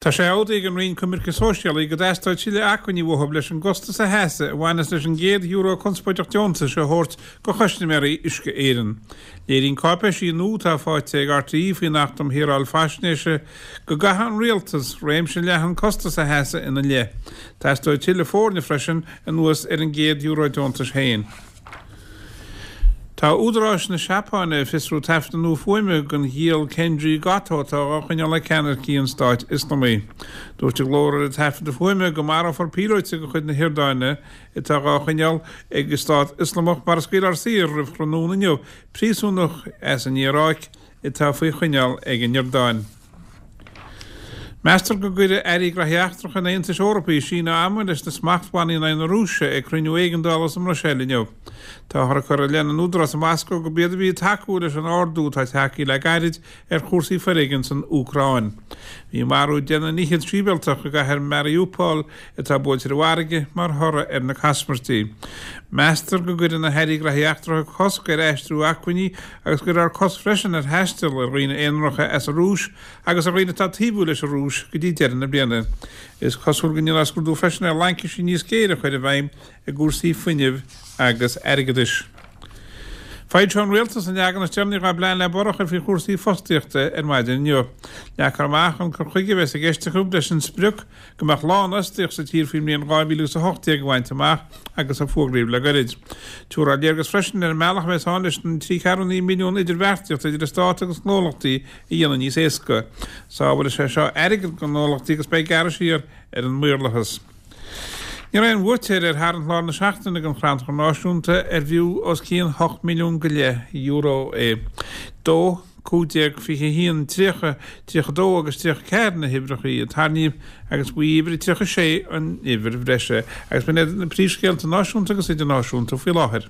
Tá sé admhaithe ag an Roinn Coimirce Sóisialaí go dteastóidh tuilleadh acmhainní uathu leis an gcostas a sheasamh a bhaineas leis an gcéad euro conspóideach deontais a thabhairt do chustaiméirí Uisce Éireann. Léiríonn cáipéisí nua atá faighte ag RTÉ faoin Acht um Shaoráil Faisnéise go gcaithfidh an Rialtas réimse leathan costas a sheasamh ina leith. Teastóidh tuilleadh foirne freisin anuas ar an gcéad euro deontais féin. Tá údaráis na Seapáine ag fiosrú taifeadadh nua fuaime den ghiall Kenji Goto atá á choinneáil ag ceannaircigh an Stáit Ioslamaigh. Dúirt an glór ar an taifeadadh fuaime go marófar píolóta de chuid na hIordáine atá á choinneáil ag an Stát Ioslamach mara scaoilfear saor roimh thráthnóna inniu príosúnach as an Iaráic atá faoi choinneáil ag an Iordáin. Meastar go gcuirfidh Airí Graithí Eachtracha an Aontais Eorpaigh síneadh ama leis na smachtbhannaí in aghaidh na Rúise ag cruinniú éigeandála sa mBruiséil inniu. Táthar ag cur i leith na n-údarás i Moscó gurb iad a bhí ag tacú leis an ardú atá tagtha le gairid ar chúrsaí foréigin san Úcráin. Bhí marú 10 nduine fhichead sibhialtach i gcathair Mariupol atá buailte ar an bhfarraige mar thoradh ar na caismirtí. Meastar go gcuirfidh na hAirí Graithí Eachtracha cosc ar aistriú acmhainní agus go gcuirfear cosc freisin ar thaisteal ar dhaoine aonaracha as an Rúis agus ar dhaoine atá taobhúil leis an Rúis go dtí deireadh na bliana. Is cosúil go ndéanfar scrúdú freisin ar laincisí níos géire a chur i bhfeidhm i gcúrsaí fuinnimh agus airgeadais. Foilseoidh an Rialtas an leagan is deireanaí dá bplean le borradh a chur faoi chúrsaí fostaíochta ar maidin inniu. Leagfar amach an cur chuige a bheas i gceist acu leis an sprioc go mbeadh lánfhostaíocht sa tír faoin mbliain 2018 a bhaint amach agus a fógraíodh le gairid. Tabharfar léargas freisin ar an mbealach a bheas ann leis an 3.8 milliún idirbheartaíocht idir an Stát agus gnólachtaí a dhéanamh níos éasca. Sábhálfaidh sé seo airgead do ghnólachtaí agus beidh gearradh siar ar an maorlathas. Ní raibh aon bhuaiteoir ar tharraingt lár na seachtaine don Chrannchur Náisiúnta ar bhfiú os cionn €8 milliún go leith é. 2, 15, 21, 30, 32 agus 34 na huimhreacha a tarraingíodh agus ba í uimhir 36 an uimhir bhreise. Agus b'in iad na príomhscéalta náisiúnta agus idirnáisiúnta faoi láthair.